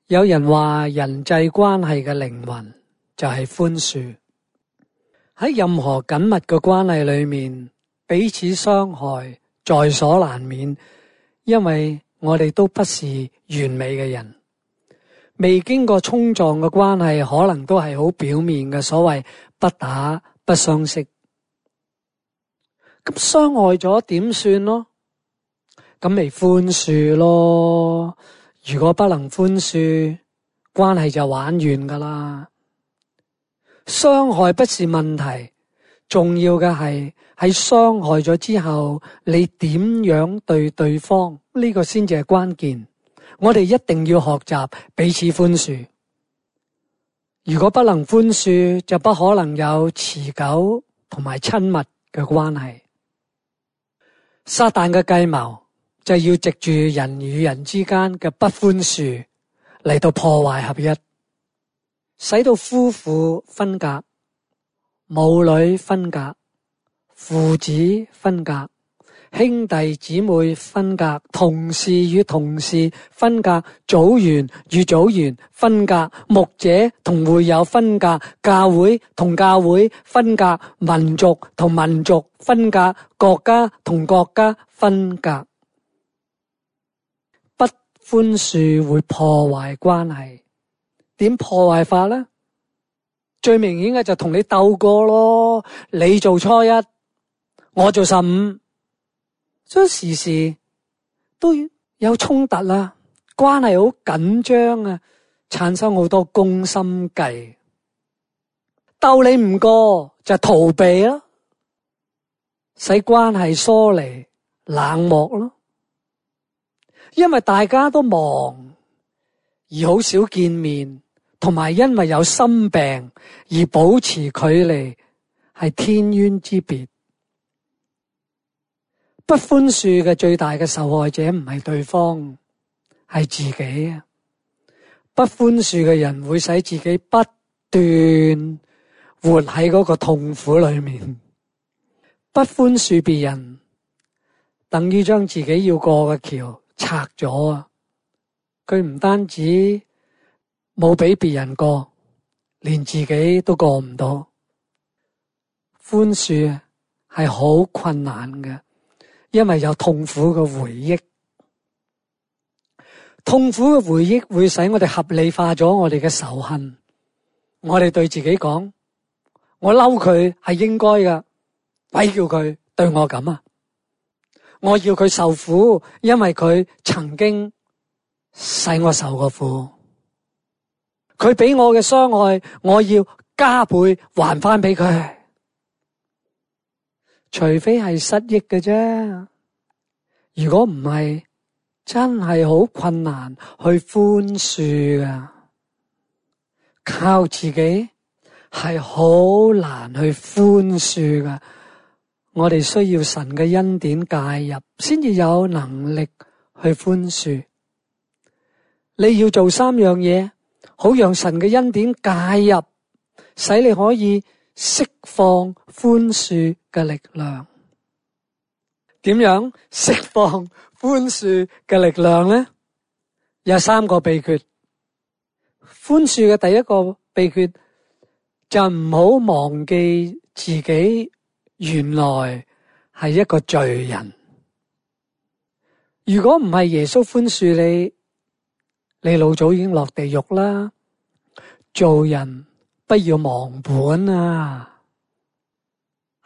有人話人際關係嘅靈魂就係寬恕。喺任何緊密嘅關係裏面，彼此傷害在所難免，因為我哋都不是完美嘅人。未經過衝撞嘅關係可能都係好表面嘅，所謂不打不相識。咁傷害咗點算咯？咁咪寬恕咯。如果不能寬恕，關係就玩完㗎啦。傷害不是問題，重要嘅係喺傷害咗之後，你點樣對對方，呢個先至係關鍵。我哋一定要學習彼此寬恕。如果不能寬恕，就不可能有持久同埋親密嘅關係。撒旦嘅計謀就要藉住人與人之間嘅不寬恕嚟到破壞合一，使到夫婦分隔、母女分隔、父子分隔、兄弟姊妹分隔、同事與同事分隔、組員與組員分隔、牧者同會友分隔、教會同教會分隔、民族同民族分隔、國家同國家分隔。不寬恕會破壞關係。點破壞法呢？最明顯嘅就同你鬥過咯，你做初一，我做15，所以時時都有衝突啦，關係好緊張啊，產生好多攻心計。鬥你唔過就逃避咯，使關係疏離冷漠咯。因為大家都忙而好少見面，同埋因為有心病而保持距離，係天淵之別。不寬恕嘅最大嘅受害者唔係對方，係自己啊！不寬恕嘅人會使自己不斷活喺嗰個痛苦裏面。不寬恕別人，等於將自己要過嘅橋拆咗啊！佢唔單止冇俾別人過，連自己都過唔到。寬恕係好困難嘅，因為有痛苦嘅回憶。痛苦嘅回憶會使我哋合理化咗我哋嘅仇恨。我哋對自己講：我嬲佢係應該㗎，鬼叫佢對我咁啊！我要佢受苦，因為佢曾經使我受過苦。佢俾我嘅傷害，我要加倍還翻俾佢。除非係失憶嘅啫，如果唔係，真係好困難去寬恕噶。靠自己係好難去寬恕噶。我哋需要神嘅恩典介入，先至有能力去寬恕。你要做3樣嘢，好讓神嘅恩典介入，使你可以釋放寬恕嘅力量。點樣釋放寬恕嘅力量呢？有3個秘訣。寬恕嘅第一個秘訣就唔好忘記自己原來係一個罪人。如果唔係耶穌寬恕你，你老早已經落地獄啦。做人不要忘本啊！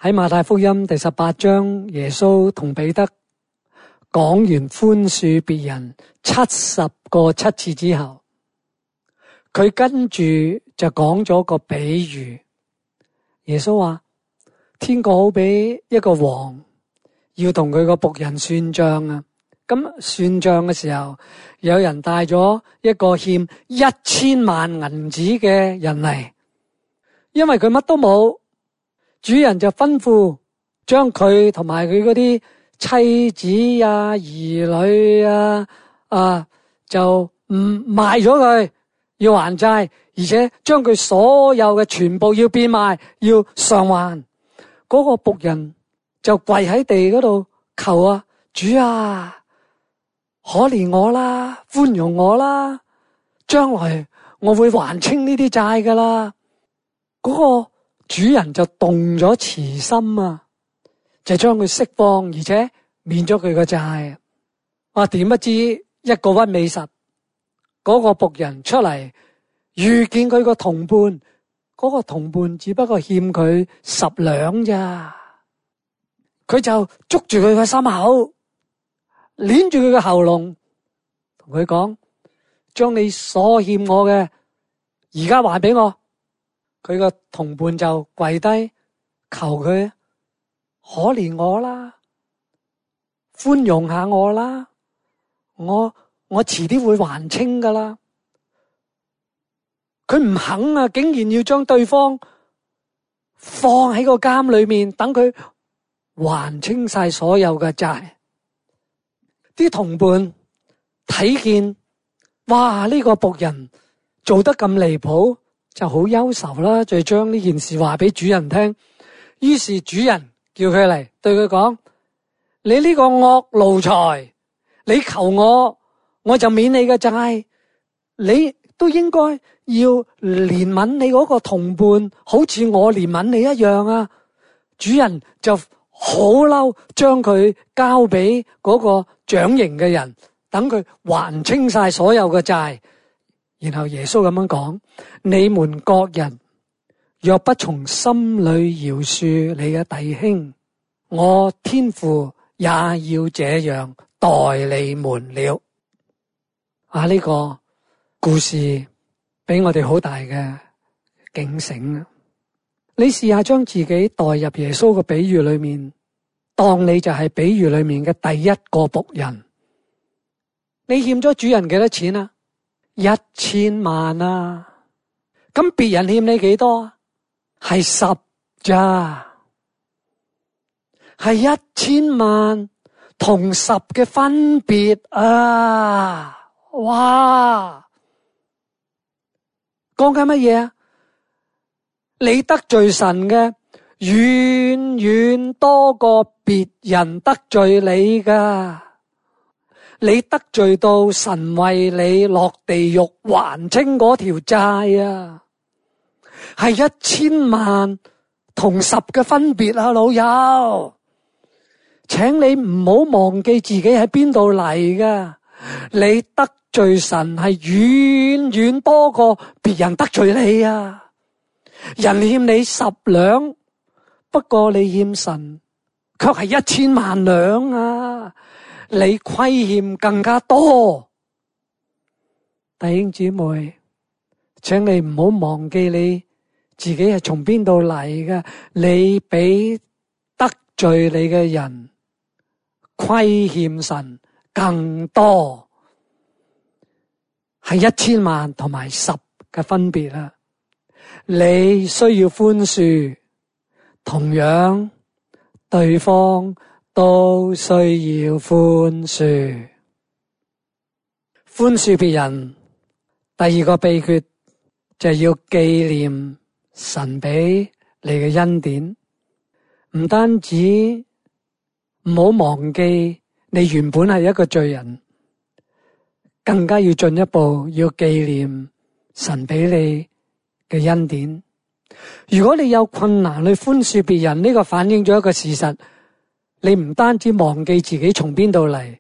喺馬太福音第18章，耶穌同彼得講完寬恕別人70個7次之後，佢跟住就講咗個比喻。耶穌話：天國好比一個王要同佢個僕人算賬啊！咁算賬嘅時候，有人帶咗一個欠1000萬銀子嘅人嚟，因為佢乜都冇，主人就吩咐將佢同埋佢嗰啲妻子啊、兒女啊就賣咗佢，要還債，而且將佢所有嘅全部要變賣，要償還。嗰個僕人就跪喺地嗰度求啊，主啊，可憐我啦，寬容我啦，將來我會還清呢啲債噶啦。嗰個主人就動咗慈心啊，就將佢釋放，而且免咗佢個債。點不知一個屈尾十，嗰個僕人出嚟遇見佢個同伴，嗰個同伴只不過欠佢10兩咋，佢就捉住佢個心口，捏住佢個喉嚨，同佢講：將你所欠我嘅而家還俾我。佢個同伴就跪低求佢可憐我啦，寬容下我啦，我遲啲會還清噶啦。佢唔肯啊，竟然要將對方放喺個監裏面，等佢還清晒所有嘅債。啲同伴睇見，哇！呢個僕人做得咁離譜，就好憂愁啦，就將呢件事話俾主人聽。於是主人叫佢嚟，對佢講：你呢個惡奴才，你求我，我就免你嘅債。你都應該要憐憫你嗰個同伴，好似我憐憫你一樣啊！主人就好嬲，將佢交俾嗰個掌刑嘅人，等佢還清晒所有嘅債。然後耶穌咁樣講：你們各人若不從心裏饒恕你嘅弟兄，我天父也要這樣待你們了。呢個故事俾我哋好大嘅警醒啊！你試下將自己代入耶穌嘅比喻裏面，當你就係比喻裏面嘅第一個僕人。你欠咗主人幾多錢啊？1000萬啊！咁別人欠你幾多啊？係10咋？係1000萬同10嘅分別啊！哇！講緊乜嘢啊？你得罪神嘅遠遠多過別人得罪你噶。你得罪到神為你落地獄還清嗰條債啊，係1000萬同10嘅分別啊，老友，請你唔好忘記自己喺邊度嚟噶。你得罪神係遠遠多過別人得罪你啊。人欠你10兩，不過你欠神卻係1000萬兩啊。你虧欠更加多。弟兄姊妹，請你唔好忘記你自己係從邊度嚟嘅。你比得罪你嘅人虧欠神更多，係1000萬同埋10嘅分別啦。你需要寬恕，同樣對方都需要寬恕。寬恕別人，第二個秘訣就係要紀念神俾你嘅恩典。唔單止唔好忘記你原本係一個罪人，更加要進一步要紀念神俾你嘅恩典。如果你有困難去寬恕別人，呢個反映咗一個事實，你唔單止忘記自己從邊度嚟，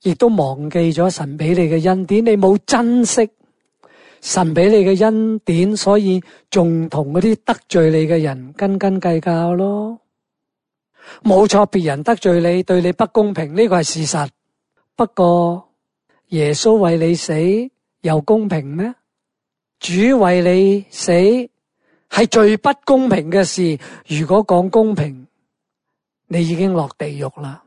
亦都忘記咗神俾你嘅恩典。你冇珍惜神俾你嘅恩典，所以仲同嗰啲得罪你嘅人斤斤計較咯。冇錯，別人得罪你，對你不公平，呢個係事實。不過耶穌為你死又公平咩？主為你死係最不公平嘅事。如果講公平，你已經落地獄啦。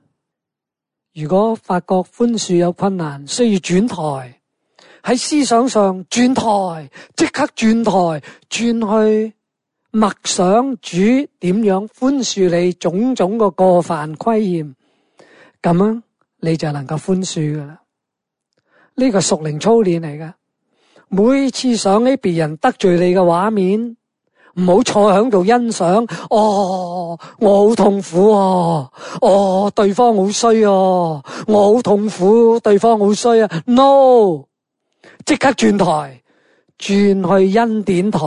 如果發覺寬恕有困難，需要轉台，喺思想上轉台，即刻轉台，轉去默想主點樣寬恕你種種個過犯虧欠，咁樣你就能夠寬恕噶啦。呢個屬靈操練嚟噶。每次想起別人得罪你嘅畫面，唔好坐喺度欣賞。我好痛苦啊！對方好衰啊！我好痛苦，對方好衰啊 ！No，即刻轉台，轉去恩典台，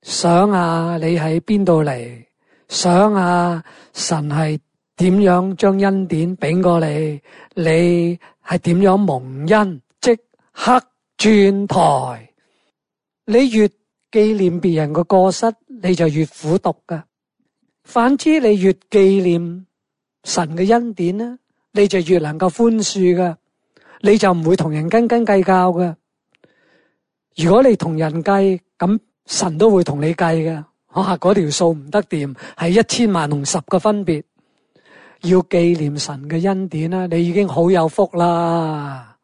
想下你喺邊度嚟，想下神係點樣將恩典俾過你，你係點樣蒙恩，即刻轉台。你越紀念別人嘅過失，你就越苦毒噶。反之，你越紀念神嘅恩典呢，你就越能夠寬恕噶，你就唔會同人斤斤計較噶。如果你同人計，咁神都會同你計嘅。嗰條數唔得掂，係1000萬同10個分別。要紀念神嘅恩典啦，你已經好有福啦。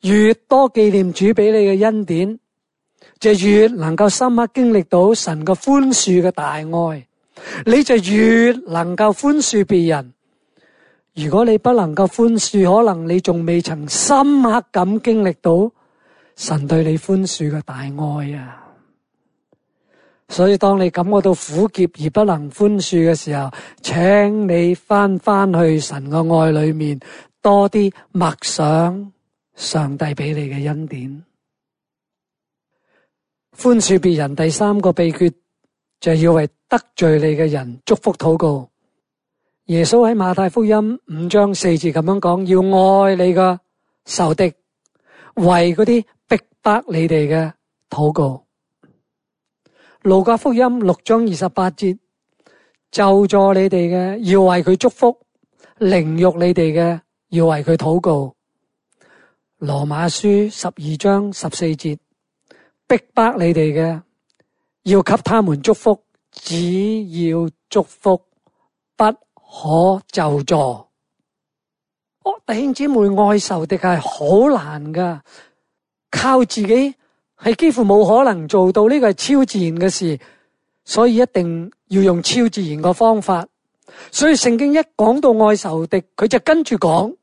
越多紀念主俾你嘅恩典，就越能夠深刻經歷到神嘅寬恕嘅大愛，你就越能夠寬恕別人。如果你不能夠寬恕，可能你仲未曾深刻咁經歷到神對你寬恕嘅大愛啊。所以當你感覺到苦澀而不能寬恕嘅時候，請你翻去神嘅愛裏面，多啲默想上帝俾你嘅恩典。寬恕別人第3個秘訣就係要為得罪你嘅人祝福禱告。耶穌喺馬太福音5章4節咁樣講，要愛你嘅仇敵，為嗰啲逼迫你哋嘅禱告。路加福音6章28節，咒詛你哋嘅要為佢祝福，凌辱你哋嘅要為佢禱告。羅馬書12章14節，逼迫你哋嘅要給他們祝福，只要祝福，不可咒詛。弟兄姊妹，愛仇敵係好難噶，靠自己係幾乎冇可能做到，呢個係超自然嘅事，所以一定要用超自然嘅方法。所以聖經一講到愛仇敵，佢就跟住講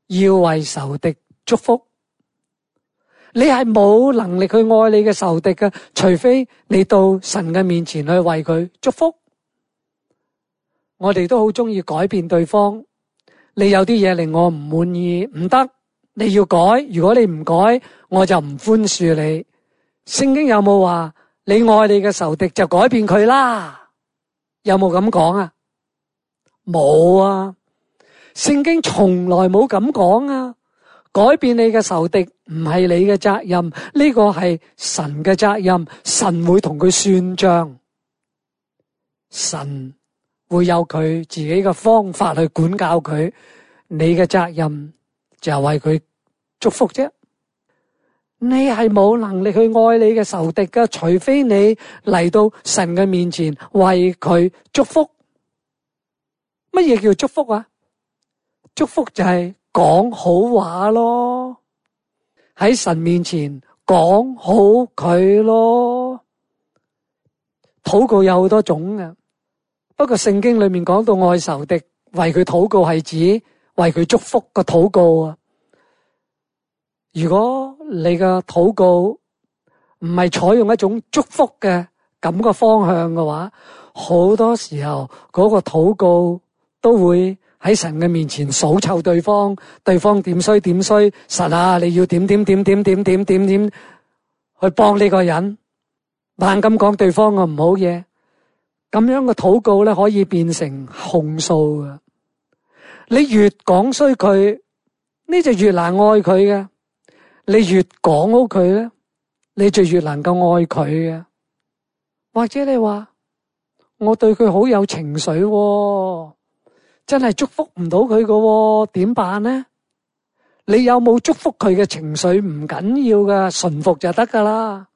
要為仇敵祝福。你係冇能力去愛你嘅仇敵嘅，除非你到神嘅面前去為佢祝福。我哋都好中意改變對方，你有啲嘢令我唔滿意，唔得，你要改，如果你唔改，我就唔寬恕你。聖經有冇話你愛你嘅仇敵就改變佢啦？有冇咁講啊？冇啊！聖經從來冇咁講啊！改變你嘅仇敵唔係你嘅責任，呢個係神嘅責任，神會同佢算賬，神會有佢自己嘅方法去管教佢，你嘅責任就係為佢祝福啫。你係冇能力去愛你嘅仇敵㗎，除非你嚟到神嘅面前為佢祝福。乜嘢叫祝福啊？祝福就係講好話咯，喺神面前講好佢咯。禱告有好多種嘅，不過聖經裏面講到愛仇敵，為佢禱告係指為佢祝福嘅禱告啊。如果你嘅禱告唔係採用一種祝福嘅咁個方向嘅話，好多時候嗰個禱告都會喺神嘅面前數臭對方，對方點衰點衰，神啊，你要點去幫呢個人，猛咁講對方嘅唔好嘢，咁樣嘅禱告咧可以變成控訴嘅。你越講衰佢，呢就越難愛佢嘅。你越講好佢咧，你就越能夠愛佢嘅。或者你話我對佢好有情緒，真係祝福唔到佢嘅，點辦呢？你有冇祝福佢嘅情緒唔緊要噶，順服就得噶啦。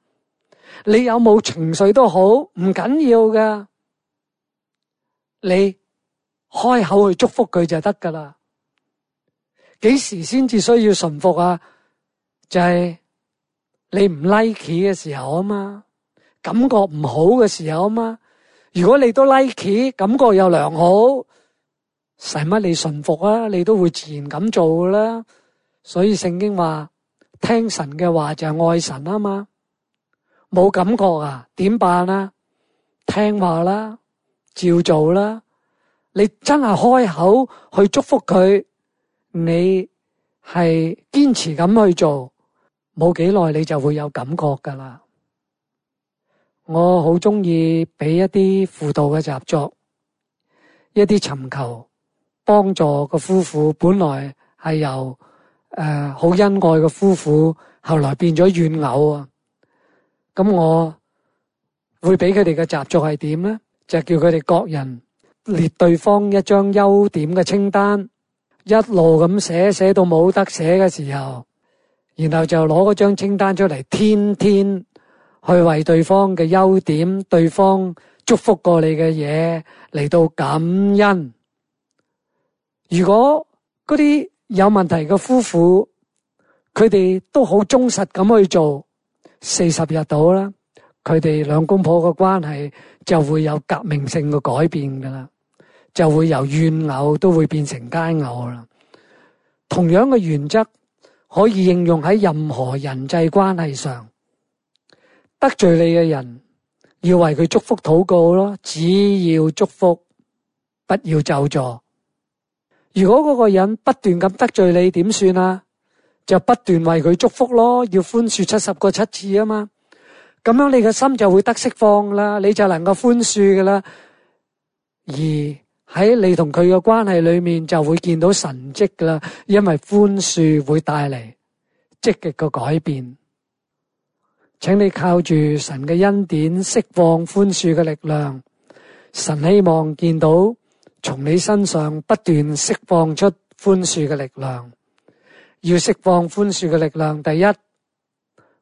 你有冇情緒都好，唔緊要噶，你開口去祝福佢就得噶啦。幾時先至需要順服啊？就係你唔 like 嘅時候啊嘛，感覺唔好嘅時候啊嘛。如果你都 like， 感覺又良好，使乜你順服啊？你都會自然咁做噶啦。所以聖經話聽神嘅話就係愛神啊嘛。冇感覺啊，點辦啊？聽話啦，照做啦。你真係開口去祝福佢，你係堅持咁去做，冇幾耐你就會有感覺噶啦。我好鍾意俾一啲輔導嘅習作，一啲尋求幫助嘅夫婦，本來係由好恩愛嘅夫婦，後來變咗怨偶啊。咁我會俾佢哋嘅習作係點咧？就叫佢哋各人列對方一張優點嘅清單，一路咁寫到冇得寫嘅時候，然後就攞嗰張清單出嚟，天天去為對方嘅優點、對方祝福過你嘅嘢嚟到感恩。如果嗰啲有問題嘅夫婦，佢哋都好忠實咁去做40日到啦，佢哋兩公婆嘅關係就會有革命性嘅改變噶啦，就會由怨偶都會變成佳偶啦。同樣嘅原則可以應用喺任何人際關係上。得罪你嘅人，要為佢祝福禱告咯，只要祝福，不要咒詛。如果嗰個人不斷咁得罪你，點算啊？就不斷為佢祝福咯，要寬恕70個7次啊嘛。咁樣你嘅心就會得釋放啦，你就能夠寬恕噶啦。而喺你同佢嘅關係裏面就會見到神蹟噶啦，因為寬恕會帶嚟積極嘅改變。請你靠住神嘅恩典釋放寬恕嘅力量，神希望見到從你身上不斷釋放出寬恕嘅力量。要釋放寬恕嘅力量，第一，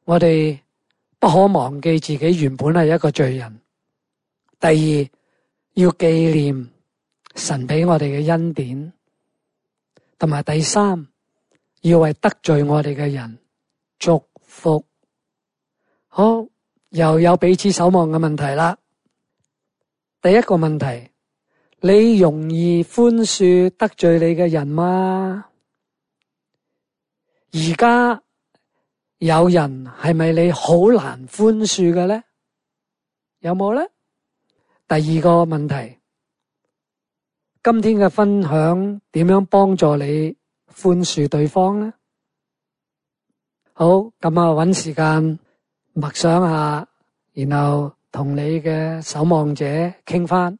我哋不可忘記自己原本係一個罪人。第二，要紀念神俾我哋嘅恩典。同埋第三，要為得罪我哋嘅人祝福。好，又有彼此守望嘅問題啦。第一個問題，你容易寬恕得罪你嘅人嗎？而家有人係咪你好難寬恕嘅咧？有冇咧？第二個問題，今天嘅分享點樣幫助你寬恕對方咧？好，咁搵時間默想下，然後同你嘅守望者傾翻。